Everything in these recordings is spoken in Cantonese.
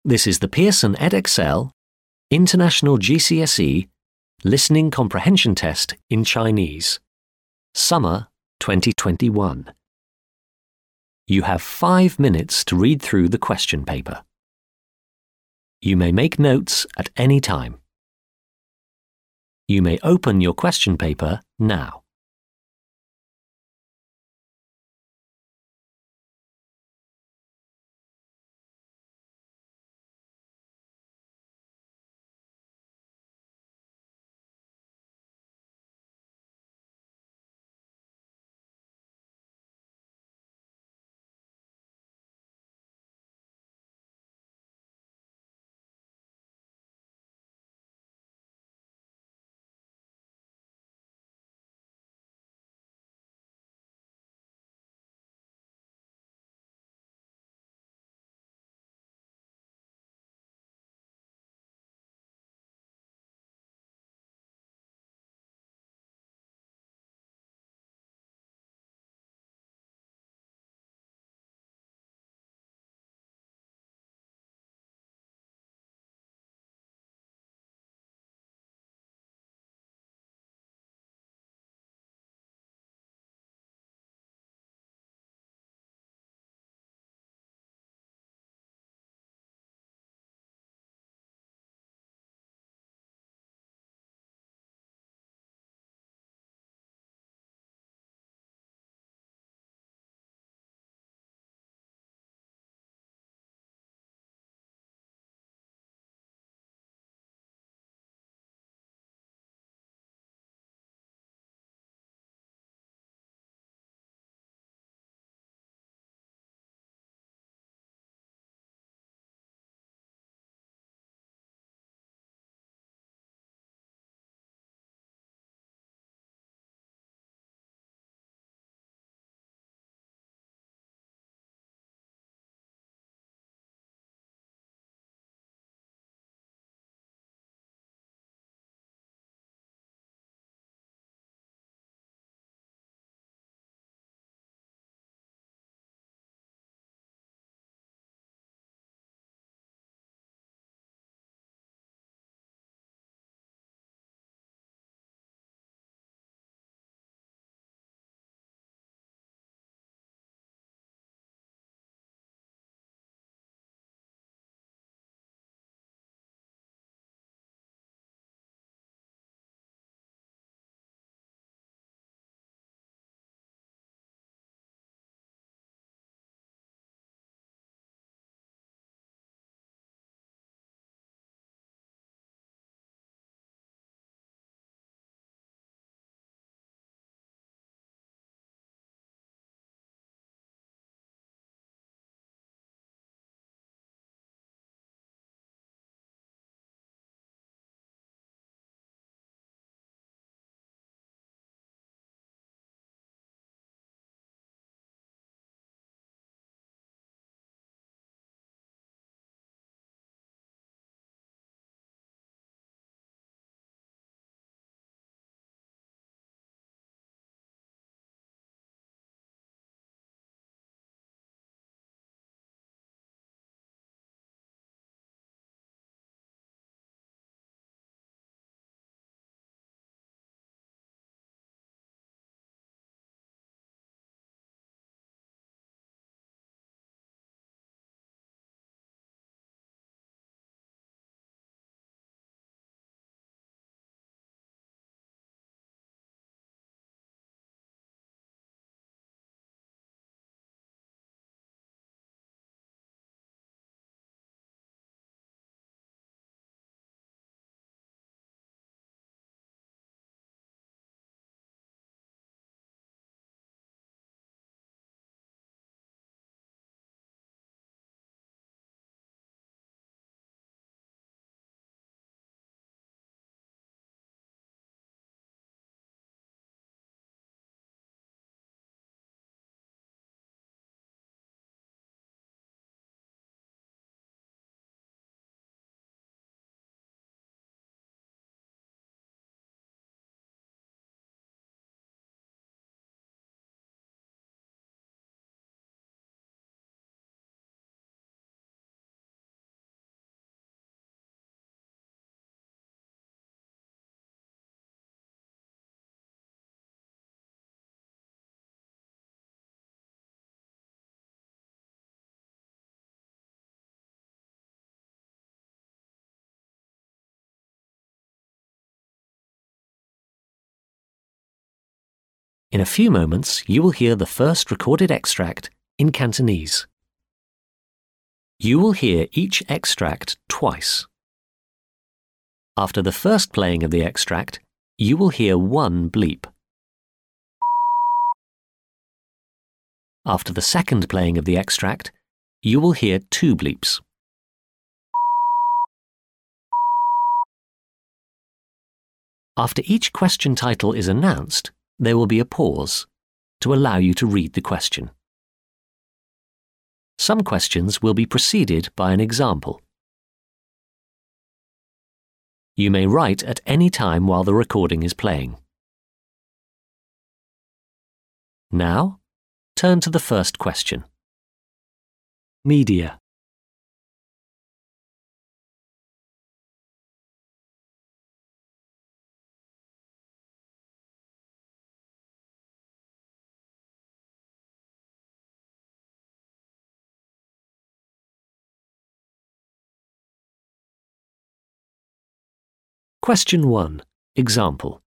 This is the Pearson Edexcel International GCSE Listening Comprehension Test in Chinese, Summer 2021. You have 5 minutes to read through the question paper. You may make notes at any time. You may open your question paper now. In a few moments, you will hear the first recorded extract in Cantonese. You will hear each extract twice. After the first playing of the extract, you will hear one bleep. After the second playing of the extract, you will hear two bleeps. After each question title is announced, there will be a pause to allow you to read the question. Some questions will be preceded by an example. You may write at any time while the recording is playing. Now, turn to the first question. Media. Question 1. Example.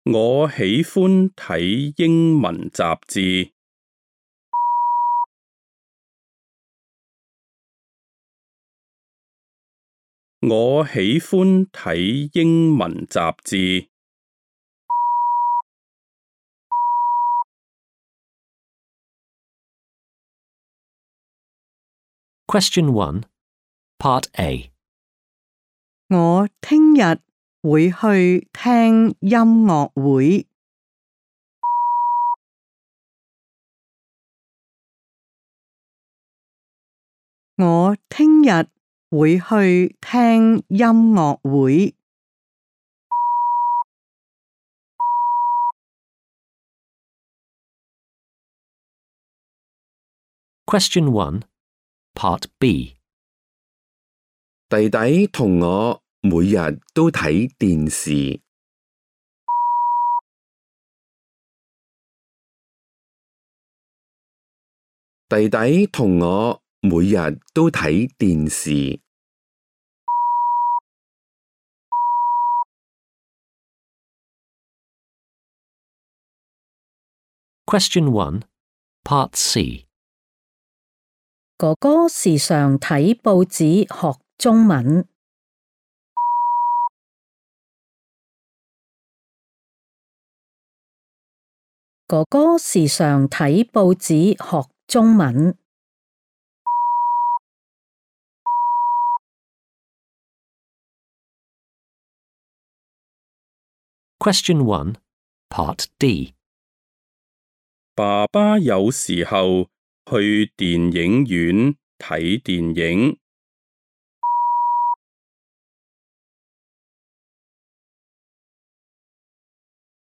我喜歡睇英文雜誌。我喜歡睇英文雜誌。Question 1. Part A. 我聽日會去聽音樂會。我聽日會去聽音樂會。Question 1. Part B. 弟弟同我每日都睇電視。弟弟同我每日都睇電視。Question 1. Part C. 哥哥時常睇報紙學中文。哥哥時常睇報紙學中文。Question 1. Part D. 爸爸有時候去電影院睇電影。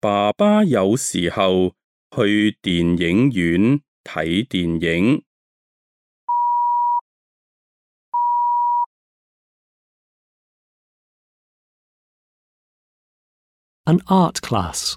爸爸有時候去電影院睇電影。An art class.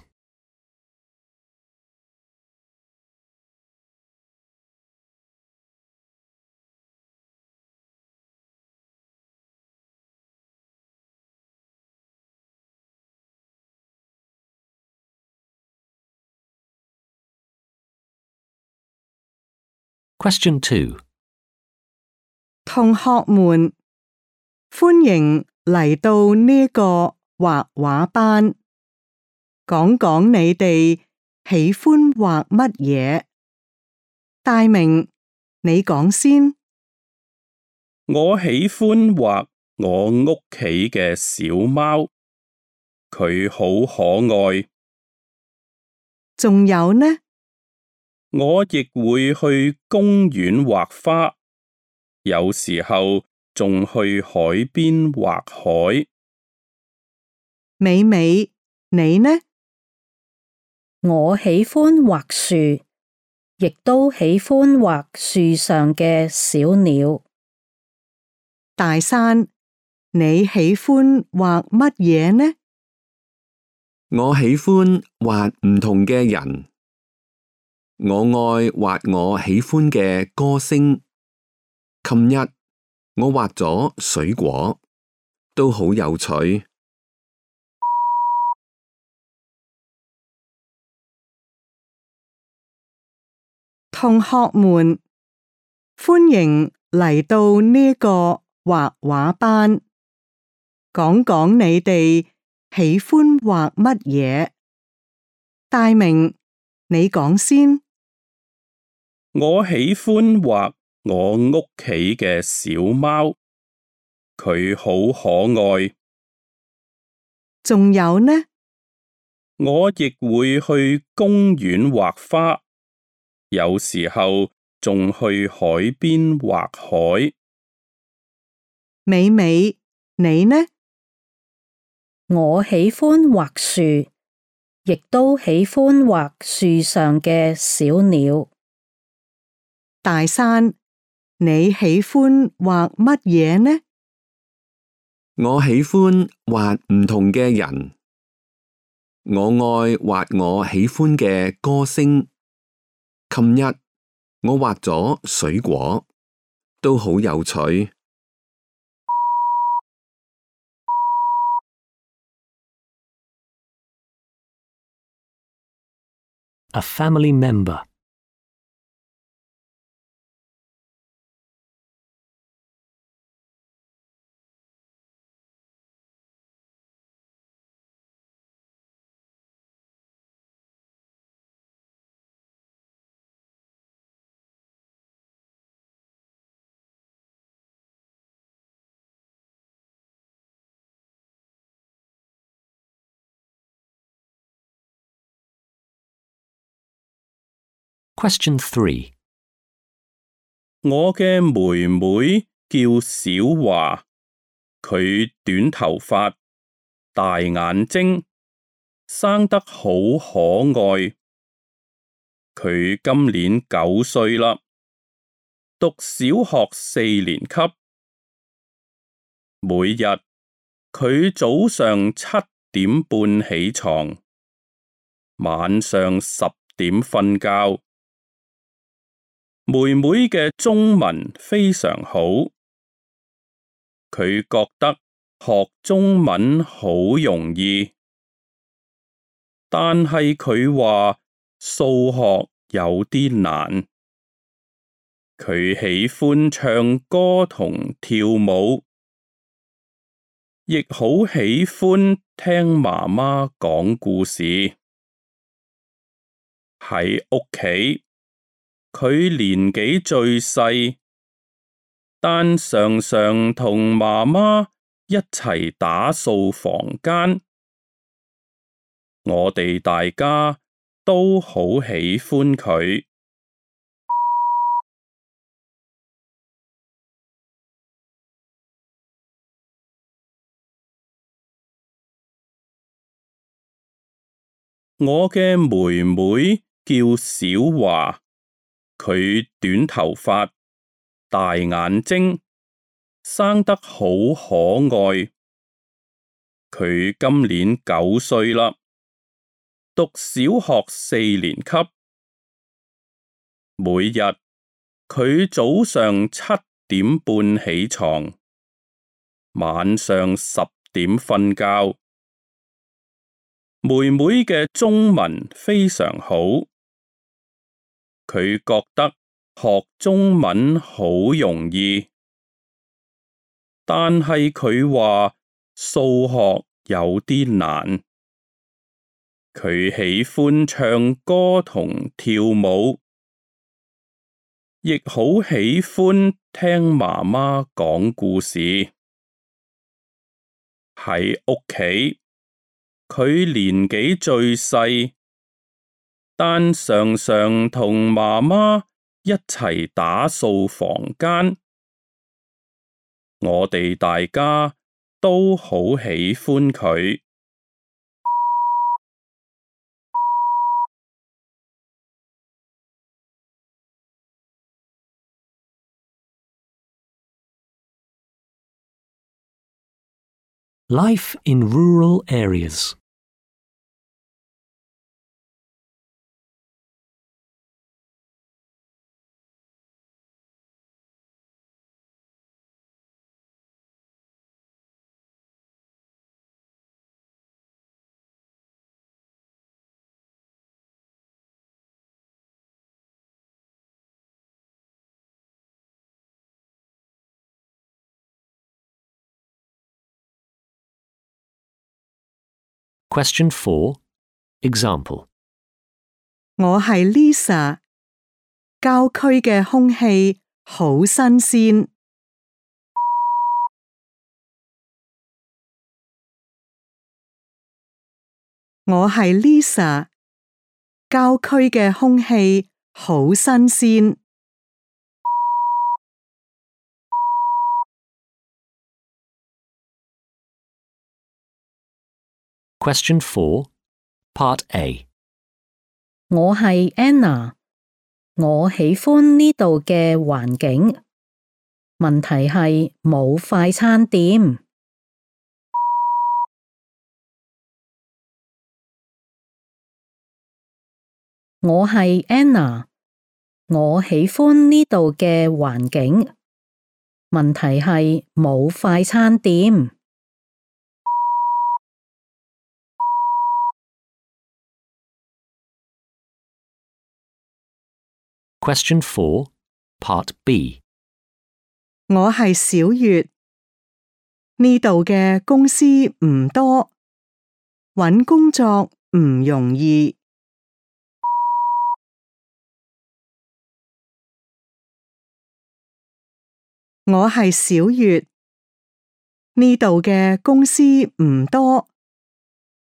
Question 2. 同學們，歡迎嚟到呢個畫畫班。講講你哋喜歡畫乜嘢？大明，你講先。我喜歡畫我屋企嘅小貓，佢好可愛。仲有呢？我亦會去公園畫花，有時候仲去海邊畫海。美美，你呢？我喜歡畫樹，亦都喜歡畫樹上嘅小鳥。大山，你喜歡畫乜嘢呢？我喜歡畫唔同嘅人。我愛畫我喜歡嘅歌星。琴日我畫咗水果，都好有趣。同學們，歡迎嚟到呢個畫畫班，講講你哋喜歡畫乜嘢？大明，你講先。我喜歡畫我屋企嘅小貓，佢好可愛。仲有呢？我亦會去公園畫花，有時候仲去海邊畫海。美美，你呢？我喜歡畫樹，亦都喜歡畫樹上嘅小鳥。大山，你喜歡畫乜嘢呢？我喜歡畫唔同嘅人。我愛畫我喜歡嘅歌聲。琴日我畫咗水果，都好有趣。A family member. Question 3. 我嘅妹妹叫小華，佢短頭髮，大眼睛，生得好可愛。佢今年9歲啦，讀小學4年級。每日佢早上7點半起床，晚上10點瞓覺。妹妹嘅中文非常好，佢覺得學中文好容易，但係佢話數學有啲難。佢喜歡唱歌同跳舞，亦好喜歡聽媽媽講故事。喺屋企，佢年紀最細，但常常同媽媽一齊打掃房間。我哋大家都好喜歡佢。我嘅妹妹叫小華，佢短頭髮，大眼睛，生得好可愛。佢今年9歲啦，讀小學4年級。每日佢早上7點半起床，晚上10點瞓覺。妹妹嘅中文非常好，佢覺得學中文好容易，但係佢話數學有啲難。佢喜歡唱歌同跳舞，亦好喜歡聽媽媽講故事。喺屋企，佢年紀最細，但常常同媽媽一齊打掃房間。我哋大家都好喜歡佢。Life in rural areas. Question 4. Example. 我係 Lisa， 郊區嘅空氣好新鮮。我係 Lisa， 郊區嘅空氣好新鮮。Question 4. Part A. 我係 Anna， 我喜歡呢度嘅環境。問題係冇快餐店。我係 Anna， 我喜歡呢度嘅環境。問題係冇快餐店。Question 4. Part B. 我係小月，呢度嘅公司唔多，搵工作唔容易。我係小月，呢度嘅公司唔多，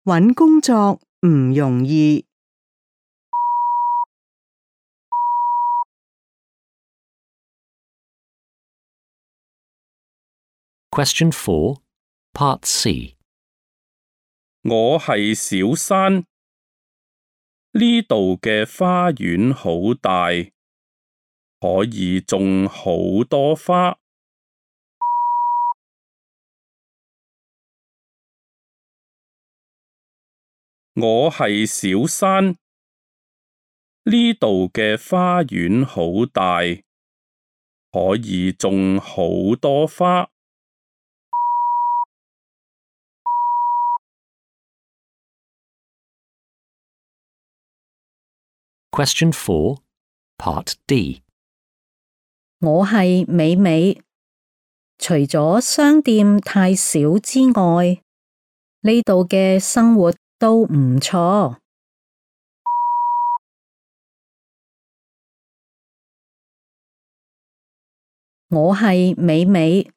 搵工作唔容易。Question 4. Part C. 我係小山，呢度嘅花園好大，可以種好多花。我係小山，呢度嘅花園好大，可以種好多花。Question 4. Part D. 我係美美，除咗商店太少之外，呢度嘅生活都唔錯。我係美美，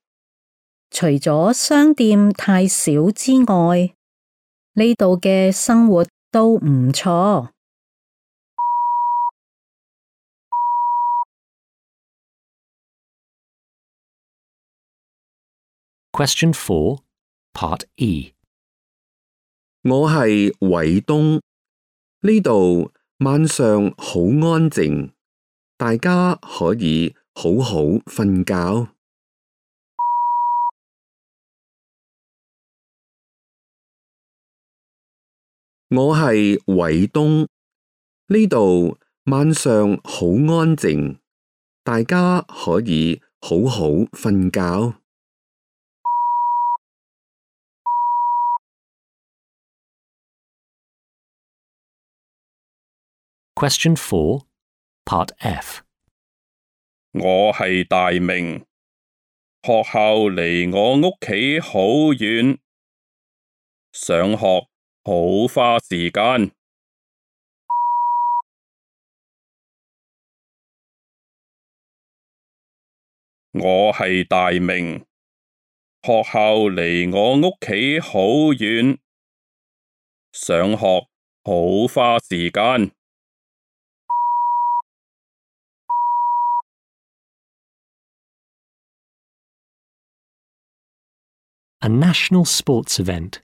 除咗商店太少之外，呢度嘅生活都唔錯。Question 4. Part E. 我係偉東，呢度晚上好安靜，大家可以好好瞓覺。我係偉東，呢度晚上好安靜，大家可以好好瞓覺。Question 4. Part F. 我係大明，學校離我屋企好遠，上學好花時間。我係大明，學校離我屋企好遠，上學好花時間。A national sports event.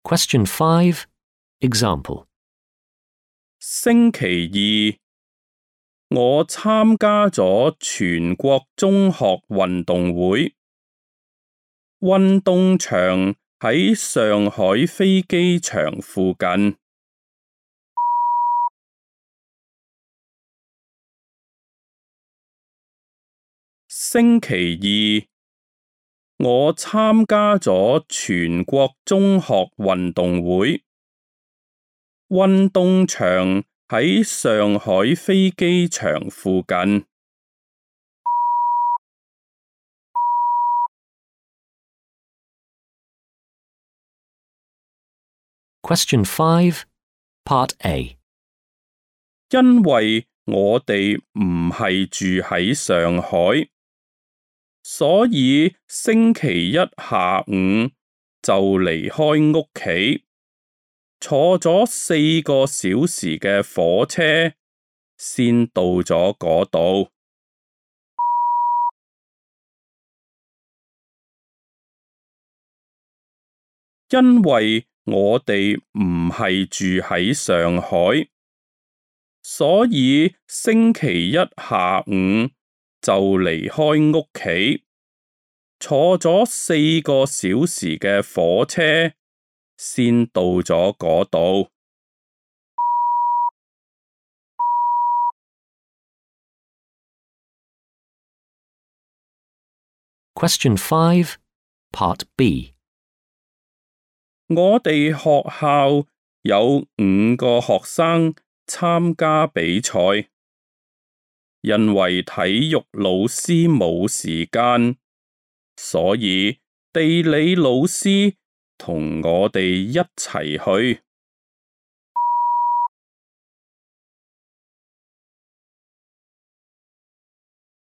Question 5. Example. 星期二，我參加咗全國中學運動會，運動場喺上海飛機場附近。星期二，我參加咗全國中學運動會。運動場喺上海飛機場附近。Question 5, Part A. 因為我哋唔係住喺上海，所以星期一下午就離開屋企，坐咗4個小時嘅火車，先到咗嗰度。因為我哋唔係住喺上海，所以星期一下午就離開屋企，坐咗4個小時嘅火車，先到咗嗰度。Question 5, Part B. 我哋學校有5個學生參加比賽，因為體育老師冇時間，所以地理老師同我哋一齊去。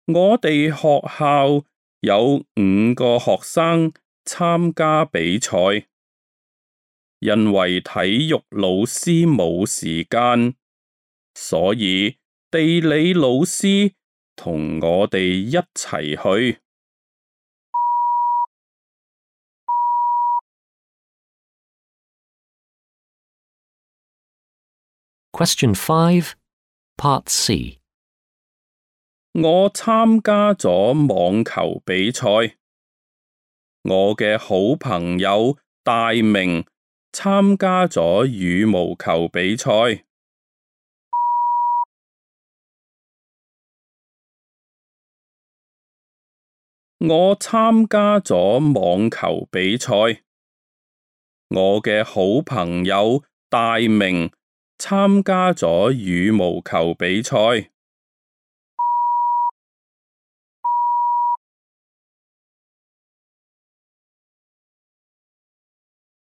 我哋學校有5個學生參加比賽，因為體育老師冇時間，所以地理老師同我哋一齊去。Question 5, Part C. 我參加咗網球比賽，我嘅好朋友大明參加咗羽毛球比賽。我參加咗網球比賽，我嘅好朋友大明參加咗羽毛球比賽。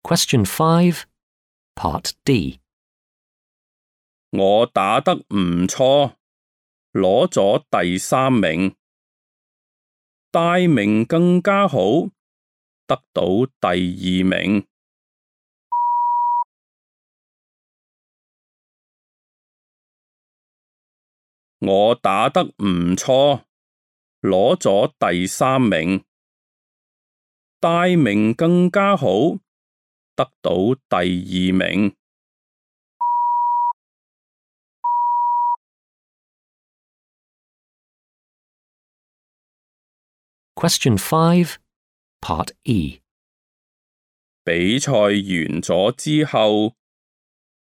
Question 5, Part D. 我打得唔錯，攞咗第3名。大明更加好，得到第2名。我打得唔錯，攞咗第3名。大明更加好，得到第2名。Question 5, Part E. 比賽完咗之後，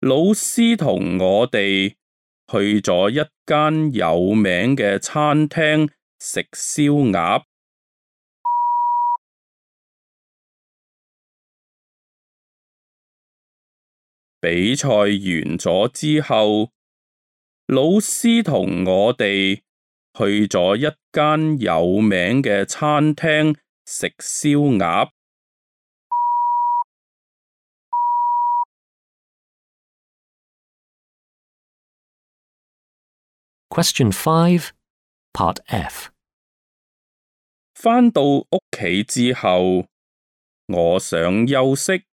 老師同我哋去咗一間有名嘅餐廳食燒鴨。比賽完咗之後，老師同我哋去咗一間有名嘅餐廳食燒鴨。Question 5, Part F. 返到屋企之後，我想休息，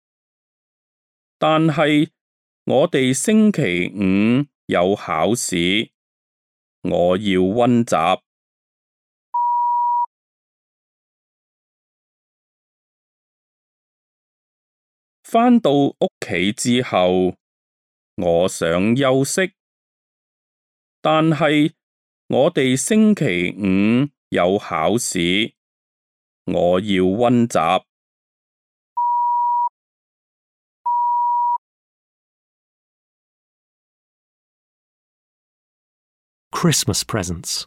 但係我哋星期5有考試，我要溫習。返到屋企之後，我想休息，但係我哋星期5有考試，我要溫習。Christmas presents.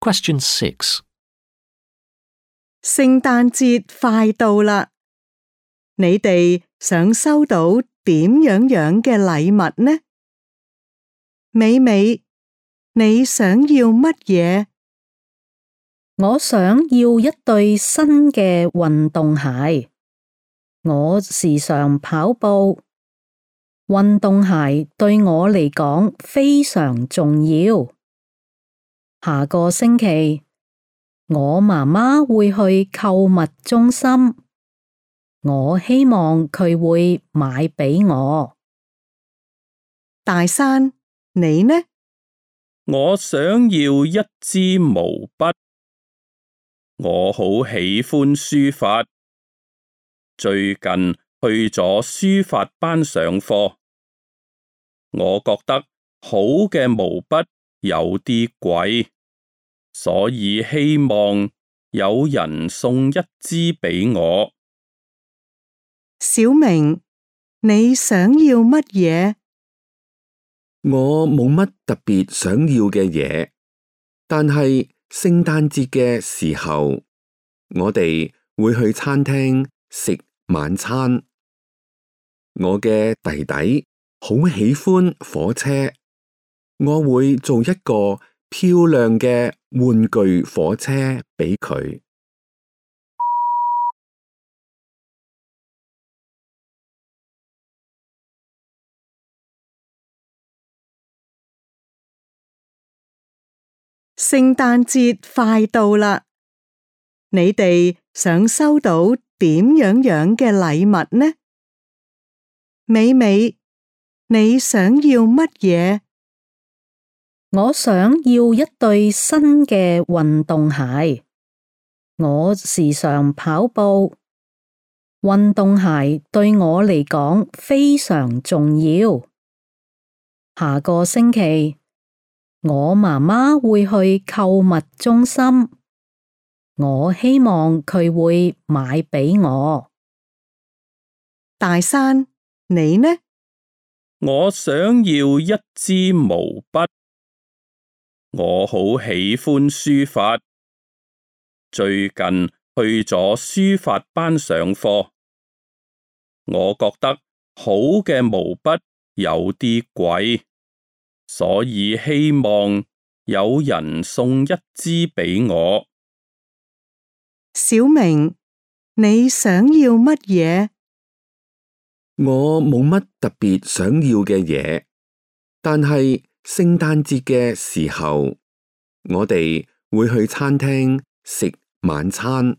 Question 6. 聖誕節快到啦，你哋想收到點樣嘅禮物呢？美美，你想要乜嘢？我想要一對新嘅運動鞋。我時常跑步，運動鞋對我嚟講非常重要。下個星期，我媽媽會去購物中心，我希望佢會買俾我。大山，你呢？我想要一支毛筆。我好喜歡書法，最近去咗書法班上課。我覺得好嘅毛筆有啲貴，所以希望有人送一支俾我。小明，你想要乜嘢？我冇乜特別想要嘅嘢，但係聖誕節嘅時候，我哋會去餐廳食晚餐。我嘅弟弟好喜歡火車，我會做一個漂亮嘅玩具火車俾佢。聖誕節快到啦，你哋想收到點樣嘅禮物呢？美美，你想要乜嘢？我想要一對新嘅運動鞋。我時常跑步，運動鞋對我嚟講非常重要。下個星期，我媽媽會去購物中心，我希望佢會買俾我。大山，你呢？我想要一支毛筆。我好喜歡書法，最近去咗書法班上課。我覺得好嘅毛筆有啲貴，所以希望有人送一支俾我。小明，你想要乜嘢？我冇乜特別想要嘅嘢，但係聖誕節嘅時候，我哋會去餐廳食晚餐。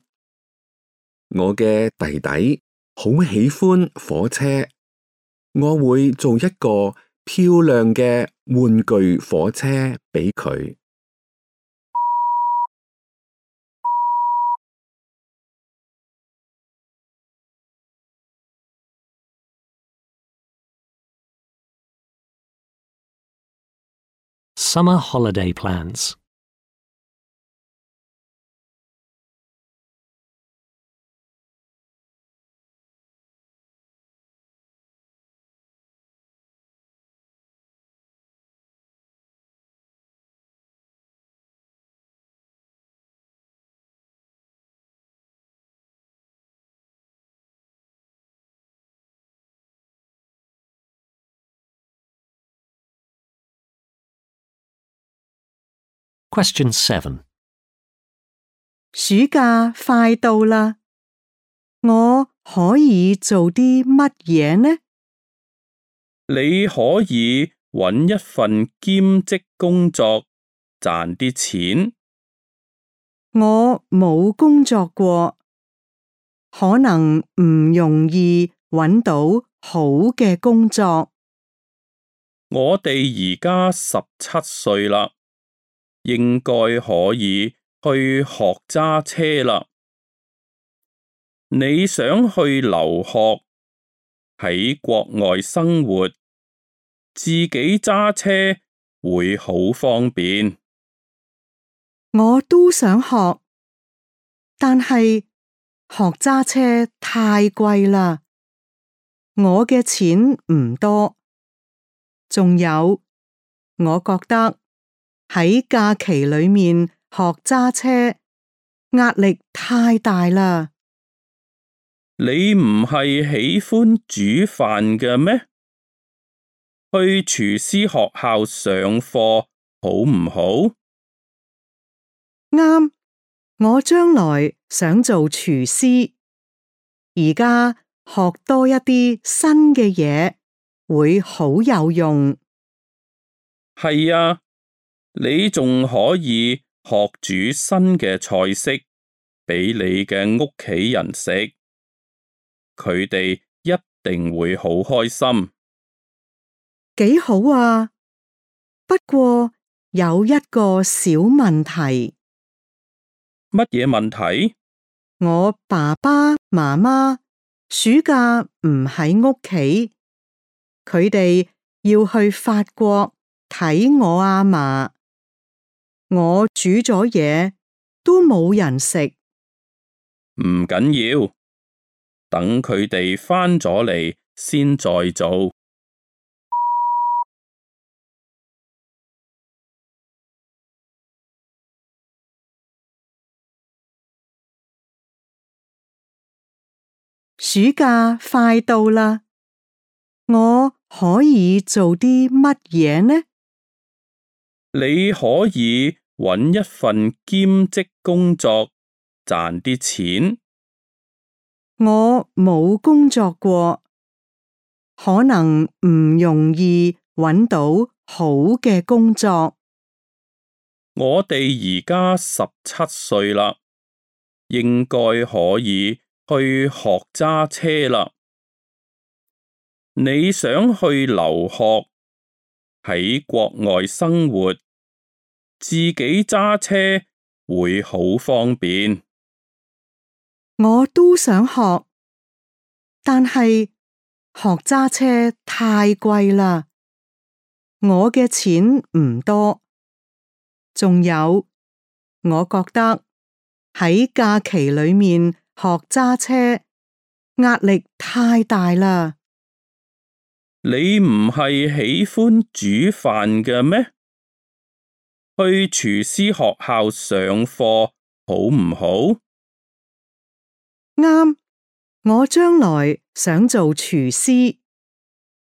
我嘅弟弟好喜歡火車，我會做一個漂亮嘅玩具火車俾佢。Summer holiday plans. Question 7. 暑假快到啦，我可以做啲乜嘢呢？你可以搵一份兼職工作，賺啲錢。我冇工作過，可能唔容易搵到好嘅工作。我哋而家17歲啦，應該可以去學揸車啦。你想去留學，喺國外生活，自己揸車會好方便。我都想學，但係學揸車太貴啦，我嘅錢唔多。仲有，我覺得喺假期裏面學揸車，壓力太大啦。你唔係喜歡煮飯嘅咩？去廚師學校上課好唔好？啱，我將來想做廚師，而家學多一啲新嘅嘢會好有用。係啊，你仲可以學煮新嘅菜式俾你嘅屋企人食，佢哋一定會好開心。幾好啊！不過有一個小問題。乜嘢問題？我爸爸媽媽暑假唔喺屋企，佢哋要去法國睇我阿嫲。我煮咗嘢都冇人食。唔緊要，等佢哋返咗嚟先再做。暑假快到啦，我可以做啲乜嘢呢？你可以搵一份兼職工作，賺啲錢。我冇工作過，可能唔容易搵到好嘅工作。我哋而家17歲啦，應該可以去學揸車啦。你想去留學，喺國外生活，自己揸車會好方便。我都想學，但係學揸車太貴啦，我嘅錢唔多。仲有，我覺得喺假期裏面學揸車壓力太大啦。你唔係喜歡煮飯嘅咩？去廚師學校上課好唔好？啱，我將來想做廚師，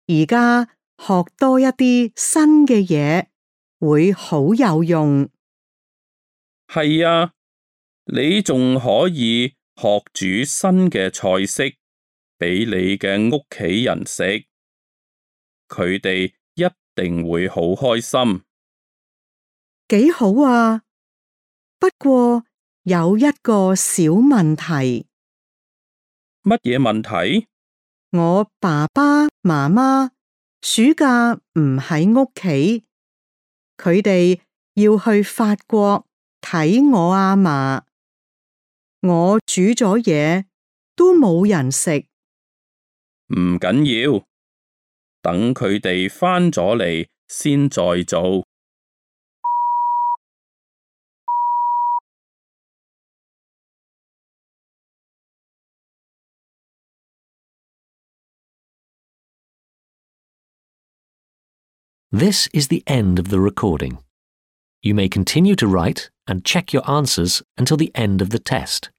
而家學多一啲新嘅嘢會好有用。係啊，你仲可以學煮新嘅菜式俾你嘅屋企人食，佢哋一定會好開心。幾好啊！不過有一個小問題。乜嘢問題？我爸爸媽媽暑假唔喺屋企，佢哋要去法國睇我阿嫲。我煮咗嘢都冇人食。唔緊要，等佢哋返咗嚟先再做。This is the end of the recording. You may continue to write and check your answers until the end of the test.